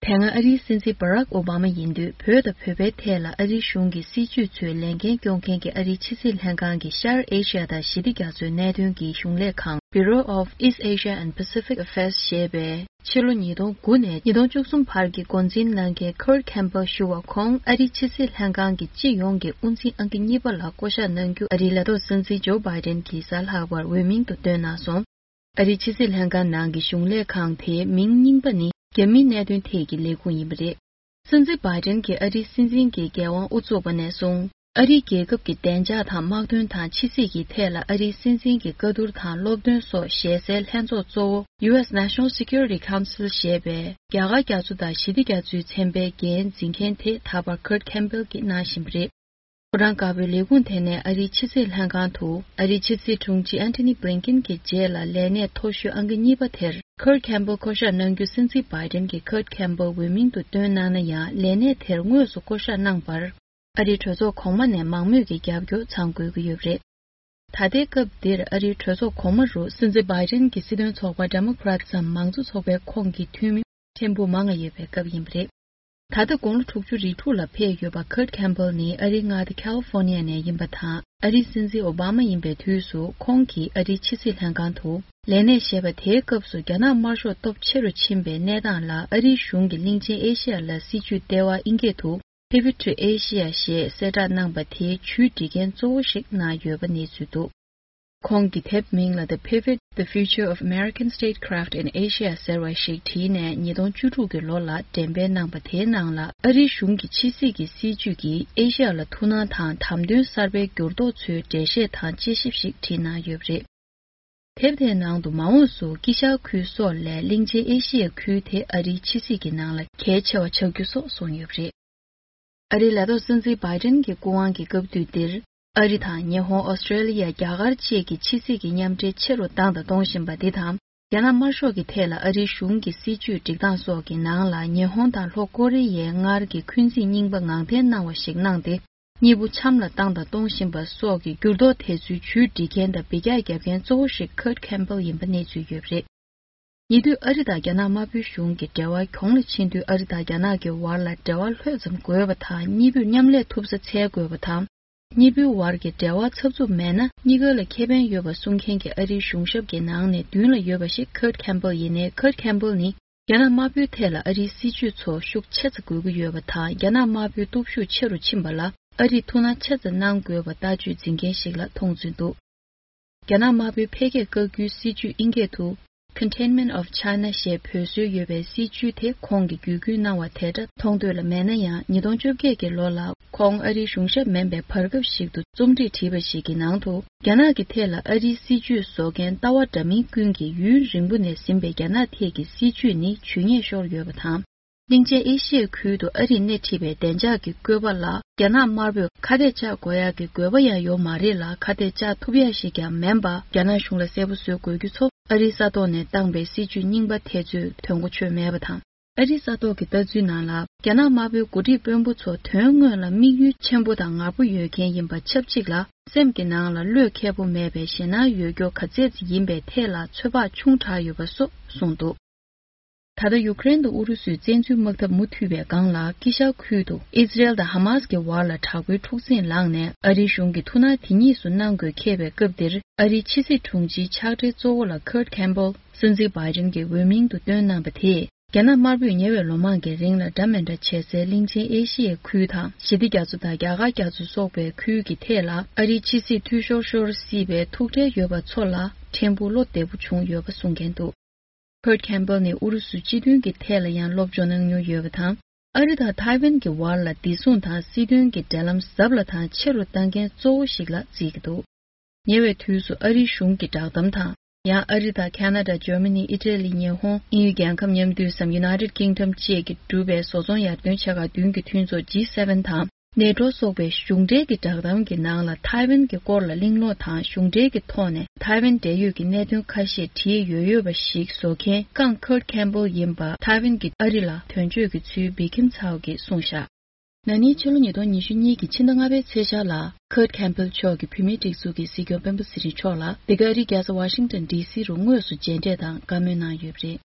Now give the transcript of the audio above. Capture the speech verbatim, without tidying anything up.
དེ་སྔ་ཨ་རིའི་སྲིད་འཛིན་Barack Obama་ཡིན་དུས་བོད་དང་བོད་པའི་ཐད་ལ་ཨ་རིའི་གཞུང་གི་སྲིད་ཇུས་ཚོའི་ལས་འགན་སྐྱོང་མཁན་གྱི་ཨ་རིའི་ཕྱི་སྲིད་ལྷན་ཁང་གི་ཤར་ཨེ་ཤ་ཡ་དང་ཞི་བདེ་རྒྱ་མཚོའི་གནད་དོན་གྱི་གཞུང་ལས་ཁང་Bureau of East Asia and Pacific Affairs་ཞེས་པའི་ཕྱི་ལོ་ཉིས་སྟོང་དགུ་ནས་ཉིས་སྟོང་བཅུ་གསུམ་བར་གྱི་འགོ་འཛིན་གནང་མཁན་Kurt Campbell་ཞུ་བ་ཁོང་ཨ་རིའི་ཕྱི་སྲིད་ལྷན་ཁང་གི་སྤྱི་ཡོངས་ཀྱི་དབུ་འཛིན་ཨང་ཀི་གཉིས་པ་ལ་བསྐོ་གཞག་གནང་རྒྱུ་ཨ་རིའི་ལས་ཐོག་སྲིད་འཛིན་ཇོ་བྷའི་ཌེན་གྱིས་གཟའ་ལྷག་པར་འོས་མིང་དུ་བཏོན་གནང་སོང་། ཨ་རིའི་ཕྱི་སྲིད་ལྷན་ཁང་ནང་གི་གཞུང་ལས་ཁང་དེའི་མིང་རྙིང་པ་ནི་རྒྱ་མིའི་གནད་དོན་ཐད་ཀྱི་ལས་ཁུངས་ཡིན་པ་རེད། སྲིད་འཛིན་བྷའི་ཌེན་གྱིས་ཨ་རིའི་སྲིད་འཛིན་གྱི་འགན་དབང་དབུ་བཙུགས་པ་ནས་བཟུང་། ཨ་རིའི་རྒྱལ་ཁབ་ཀྱི་བདེ་འཇགས་དང་དམག་དོན་དང་ཕྱི་སྲིད་ཀྱི་ཐད་ལ་ཨ་རིའི་སྲིད་འཛིན་གྱི་བཀའ་བསྡུར་དང་སློབ་སྟོན་སོགས་ཞལ་གསལ་ལྷན་ཚོགས་གཙོ་བོ་US National Security Council་ཞེས་པའི་རྒྱ་གར་རྒྱ་མཚོ་དང་ཞི་བདེ་རྒྱ་མཚོའི་ཚན་པའི་འགན་འཛིན་མཁན་དེ་ད་བར་Kurt Campbell་གྱིས་གནང་བཞིན་པ་རེད། ཕོ་བྲང་དཀར་པོའི་ལས་ཁུངས་དེ་ནས་ཨ་རིའི་ཕྱི་སྲིད་ལྷན་ཁང་དུ་ཨ་རིའི་ཕྱི་སྲིད་དྲུང་ཆེ་Antony Blinken་གྱི་རྗེས་ལ་ལས་གནས་མཐོ་ཤོས་ཨང་ཀི་གཉིས་པ་དེར་Kurt Campbell་བསྐོ་གཞག་གནང་རྒྱུ་སྲིད་འཛིན་Biden་གྱིས་Kurt Campbell་འོས་མིང་དུ་བཏོན་གནང་ན་ཡང་ལས་གནས་དེར་དངོས་སུ་བསྐོ་གཞག་གནང་བར་ཨ་རིའི་གྲོས་ཚོགས་གོང་མ་ནས་མང་མོས་ཀྱི་རྒྱབ་སྐྱོར་ཚང་དགོས་ཀྱི་ཡོད་པ་རེད། ད་ལྟའི་སྐབས་འདིར་ཨ་རིའི་གྲོས་ཚོགས་གོང་མ་རུ་སྲིད་འཛིན་Biden་གྱི་སྲིད་དོན་ཚོགས་པ་Democrats་འམ་མང་གཙོ་ཚོགས་པའི་ཁོངས་ཀྱི་འཐུས་མི་ཕྲན་བུ་མང་ང་ཡོད་པའི་སྐབས་ཡིན་པ་རེད། ད་ལྟ་དགུང་ལོ་དྲུག་ཅུ་རེ་དྲུག་ལ་ཕེབས་ཡོད་པ་Kurt Campbell་ནི་ཨ་རིའི་མངའ་སྡེ་California་ནས་ཡིན་པ་དང་། ཨ་རིའི་སྲིད་འཛིན་ཨོ་བྷ་མ་ཡིན་པའི་དུས་སུ་ཁོང་གིས་ཨ་རིའི་ཕྱི་སྲིད་ལྷན་ཁང་དུ་ལས་གནས་བཞེས་པ་དེའི་སྐབས་སུ་རྒྱ་ནག་དམར་ཤོག་སྟོབས་ཆེ་རུ་ཕྱིན་པའི་གནས་སྟངས་ལ་ཨ་རིའི་གཞུང་གིས་གླིང་ཆེན་ཨེ་ཤི་ཡ་ལ་སྲིད་ཇུས་ལྟེ་བ་ཨིན་སྐད་དུ་Pivot to Asia་ཞེས་གསལ་བསྒྲགས་གནང་བ་དེའི་ཇུས་སྒྲིག་མཁན་གཙོ་བོ་ཞིག་གནང་ཡོད་པ་གནས་ཚུལ་འདུག་ཁོང་གི་དེབ་མིང་ལ་The Pivot, The Future of American Statecraft in Asia ཟེར་བ་ཞིག་བྲིས་ནས་ཉིས་སྟོང་བཅུ་དྲུག་གི་ལོ་ལ་འགྲེམས་སྤེལ་གནང་པ་དེའི་ནང་ལ་ཨ་རིའི་གཞུང་གི་ཕྱི་སྲིད་ཀྱི་སྲིད་ཇུས་ཀྱིས་ཨེ་ཤ་ཡ་ལ་ཐུགས་སྣང་དང་དམ་དོན་གསར་པའི་འགྱུར་ལྡོག་ཚོའི་འགྲེལ་བཤད་དང་དཔྱད་ཞིབ་ཞིག་བྲིས་གནང་ཡོད་པ་རེད། དེབ་དེའི་ནང་དུ་མ་འོངས་སུ་དཀྱིལ་ཤར་ཁུལ་སོགས་ལས་གླིང་ཆེན་ཨེ་ཤི་ཡའི་ཁུལ་དེ་ཨ་རིའི་ཕྱི་སྲིད་ཀྱི་ནང་ལ་གལ་ཆེ་བ་ཆགས་རྒྱུ་སོགས་གསུངས་ཡོད་པ་རེད། ཨ་རིའི་ལས་ཐོག་སྲིད་འཛིན་བྷའི་ཌེན་གྱི་སྐུ་དབང་གི་སྐབས་དུས་འདིར། ཨ་རི་དང་ཉི་ཧོང་། ཨོ་སི་ཀྲེ་ལི་ཡ། རྒྱ་གར་བཅས་ཀྱི་ཕྱི་སྲིད་ཀྱི་མཉམ་འབྲེལ་ཆེ་རུ་བཏང་དང་གཏོང་བཞིན་པ་འདི་དང་། རྒྱ་ནག་དམར་ཤོག་གི་ཐད་ལ་ཨ་རིའི་གཞུང་གི་སྲིད་ཇུས་སྒྲིག་སྟངས་སོགས་ཀྱི་ནང་ལ་ཉི་ཧོང་དང་ལྷོ་ཀོ་རི་ཡའི་སྔར་གྱི་འཁོན་འཛིན་རྙིང་པ་ངང་འཐེན་གནང་བ་ཞིག་གནང་སྟེ། གཉིས་པོ་འཆམ་ལ་བཏང་དང་གཏོང་བཞིན་པ་སོགས་ཀྱི་འགྱུར་ལྡོག་དེ་ཚོའི་ཇུས་སྒྲིག་མཁན་དང་འབུད་རྒྱག་རྒྱབ་མཁན་གཙོ་བོ་ཞིག་Kurt Campbell་ཡིན་པ་གནས་ཚུལ་ཡོད་པ་རེད། ཉེ་དུས་ཨ་རི་དང་རྒྱ་ནག་དམར་པོའི་གཞུང་གི་འབྲེལ་བ་གྱོང་ལ་ཕྱིན་དུས་ཨ་རི་དང་རྒྱ་ནག་གི་བར་ལ་འབྲེལ་བ་ལྷོད་ཙམ་དགོས་པ་དང་། གཉིས་པོས་མཉམ་ལས་ཐུབ་ས་འཚོལ་དགོས་པ་དང་། གཉིས་པོའི་བར་གྱི་འབྲེལ་བ་འཚབ་འཚུབ་མེད་ན་གཉིས་ཀ་ལ་ཁེ་ཕན་ཡོད་པ་གསུང་མཁན་གྱི་ཨ་རིའི་གཞུང་ཞབས་ཀྱི་ནང་ནས་མདུན་ལ་ཡོད་པ་ཞིག་Kurt Campbell་ཡིན་ནའི། Kurt Campbell་ནི་རྒྱ་ནག་དམར་པོའི་ཐད་ལ་ཨ་རིའི་སྲིད་ཇུས་ཚོ་ཤུགས་ཆེ་ཙམ་དགོས་ཀྱི་ཡོད་པ་དང་། རྒྱ་ནག་དམར་པོའི་སྟོབས་ཤུགས་ཆེ་རུ་ཕྱིན་པ་ལ་ཨ་རིས་ཐུགས་སྣང་ཆེ་ཙམ་གནང་དགོས་པ་ལྟ་སྤྱོད་འཛིན་མཁན་ཞིག་ལ་མཐོང་ཚུལ་འདུག་རྒྱ་ནག་དམར་པོའི་འཕེལ་རྒྱས་བཀག་རྒྱུའི་སྲིད་ཇུས་ཨིན་སྐད་དུ། Containment of China ཞེས་འབོད་སྲོལ་ཡོད་པའི་སྲིད་ཇུས་དེ་ཁོང་གིས་བརྒྱུད་སྐུལ་གནང་བ་དེ་འདྲ་མཐོང་འདོད་ལ་མེད་ན་ཡང་། ཉིས་སྟོང་བཅོ་བརྒྱད་ཀྱི་ལོ་ལ་ཁོང་ཨ་རིའི་གཞུང་ཞབས་མིན་པའི་བར་སྐབས་ཤིག་ཏུ་རྩོམ་སྒྲིག་བྲིས་པ་ཞིག་གི་ནང་དུ། རྒྱ་ནག་གི་ཐད་ལ་ཨ་རིའི་སྲིད་ཇུས་བཟོ་མཁན་ལྟ་བ་འདྲ་མིན་ཀུན་གྱིས་ཡུན་རིང་པོ་ནས་ཟིན་པའི་རྒྱ་ནག་ཐད་ཀྱི་སྲིད་ཇུས་ནི་ཇུས་ཉེས་ཤོར་ཡོད་པ་དང་། གླིང་ཆེན་ཨེ་ཤི་ཡའི་ཁུལ་དུ་ཨ་རིས་སྣེ་ཁྲིད་པའི་བདེ་འཇགས་ཀྱི་བཀོད་པ་ལ་རྒྱ་ནག་དམར་པོས་ཁ་གཏད་བཅག་དགོས་ཡག་གི་དགོས་པ་ཡང་ཡོད་མ་རེད་ལ། ཁ་གཏད་བཅག་ཐུབ་ཡག་ཞིག་ཀྱང་མིན་པ་རྒྱ་ནག་གཞུང་ལ་གསལ་པོ་བཟོ་དགོས་རྒྱུ་ཚོ། ཨ་རིའི་ས་ཐོག་ནས་བཏང་པའི་སྲིད་ཇུས་རྙིང་པ་དེ་ཚོས་དོན་གོ་ཆོད་མེད་པ་དང་། ཨ་རིའི་ས་ཐོག་གི་ལྟ་ཚུལ་ནང་ལ། རྒྱ་ནག་དམར་པོའི་འགོ་ཁྲིད་དཔོན་པོ་ཚོ་དོན་དངོས་ལ་དམིགས་ཡུལ་ཆེན་པོ་དང་ངར་པོ་ཡོད་མཁན་ཡིན་པ་ཆབས་ཅིག་ལ། སེམས་ཀྱི་ནང་ལ་བློས་འཁེལ་པོ་མེད་པའི་ཞེད་སྣང་ཡོད་རྒྱུ་ག་ཚད་ཅིག་ཡིན་པའི་ཐད་ལ་ཚོད་དཔག་ཆུང་དྲགས་ཡོད་པ་སོགས་གསུངས་འདུག་ད་ལྟ་ཡུ་ཀེ་རེན་དུ་ཨུ་རུ་སུས་བཙན་འཛུལ་དམག་འཐབ་མུ་མཐུད་པའི་སྒང་ལ། དཀྱིལ་ཤར་ཁུལ་དུ་ཨི་ཟི་རེལ་དང་ཧ་མཱ་སི་ཀྱི་བར་ལ་དྲག་པོའི་འཁྲུག་འཛིང་ལངས་ནས། ཨ་རིའི་གཞུང་གིས་ཐུགས་སྣང་དེ་གཉིས་སུ་གནང་དགོས་འཁེལ་བའི་སྐབས་འདིར། ཨ་རིའི་ཕྱི་སྲིད་དྲུང་ཆེའི་ཕྱག་སྦྲེལ་གཙོ་བོ་ལ་Kurt Campbell་སྲིད་འཛིན་བྷའི་ཌེན་གྱི་འོས་མིང་དུ་བཏོན་གནང་པ་དེས། རྒྱ་ནག་དམར་པོས་ཉེ་བའི་ལོ་མང་གི་རིང་ལ་འདྲ་མི་འདྲ་བྱེད་སའི་གླིང་ཆེན་ཨེ་ཤི་ཡའི་ཁུལ་དང་། ཞི་བདེ་རྒྱ་མཚོ་དང་རྒྱ་གར་རྒྱ་མཚོ་སོགས་པའི་ཁུལ་གྱི་ཐད་ལ། ཨ་རིའི་ཕྱི་སྲིད་འཐུས་ཤོར་ཤོར་སྲིད་པའི་ཐུགས་ཁྲལ་ཡོད་པ་ཚོ་ལ་ཕྲན་བུ་བློ་བདེ་པོ་བྱུང་ཡོད་པ་གསུང་མཁན་འདུག Kurt Campbell་ནི་ཨུ་རུ་སུ་སྤྱི་མཐུན་གྱི་ཐད་ལ་ཡང་སློབ་སྦྱོང་གནང་མྱོང་ཡོད་པ་དང་། ཨ་རི་དང་ཐའེ་ཝན་གྱི་བར་ལ་བདེ་སྲུང་དང་སྲིད་དོན་གྱི་འབྲེལ་ལམ་ཟབ་ལ་དང་ཆེ་རུ་གཏང་མཁན་གཙོ་བོ་ཞིག་ལ་བརྩི་གི་འདུག་ཉེ་བའི་དུས་སུ་ཨ་རིའི་གཞུང་གི་བསྒྲགས་གཏམ་དང་། ཡང་ཨ་རི་དང་ཁ་ན་ཌ། ཇར་མ་ནི། ཨི་ཊ་ལི། ཉི་ཧོང་། དབྱིན་ཡུལ་རྒྱལ་ཁབ་མཉམ་འདུས་སམ། United Kingdom་བཅས་ཀྱིས་གྲུབ་པའི་བཟོ་ཚོང་ཡར་ཐོན་ཆེ་ཁག་བདུན་གྱི་མཐུན་ཚོགས་ཇི་སེ་ཝེན་དང་། ནེ་ཊོ་སོགས་པའི་གཞུང་འབྲེལ་གྱི་བསྒྲགས་གཏམ་གྱི་ནང་ལ་ཐའེ་ཝན་གྱི་སྐོར་ལ་གླེང་སློང་དང་། གཞུང་འབྲེལ་གྱི་ཐོག་ནས་ཐའེ་ཝན་འབྲེལ་ཡོད་ཀྱི་གནད་དོན་ཁ་ཤས་བྲིས་ཡོད་ཡོད་པ་ཞིག་བཟོ་མཁན་ཀང་Kurt Campbell་ཡིན་པ་ཐའེ་ཝན་གྱི་ཨ་རི་ལ་དོན་གཅོད་ཀྱི་ཚུལ་བི་ཁིམ་ཚའོ་གིས་གསུངས་བཞག་ན་ནིང་ཕྱི་ལོ་ཉིས་སྟོང་ཉི་ཤུ་གཉིས་ཀྱི་ཕྱི་ཟླ་ལྔ་པའི་ཚེས་ཤར་ལ་Kurt Campbell་མཆོག་གིས་བོད་མིའི་སྒྲིག་འཛུགས་ཀྱི་སྲིད་སྐྱོང་སྤེན་པ་ཚེ་རིང་མཆོག་ལ་འདི་ག་ཨ་རིའི་རྒྱལ་ས་Washington D C་རུ་དངོས་སུ་མཇལ་འཕྲད་དང་བཀའ་མོལ་གནང་ཡོད་པ་རེད།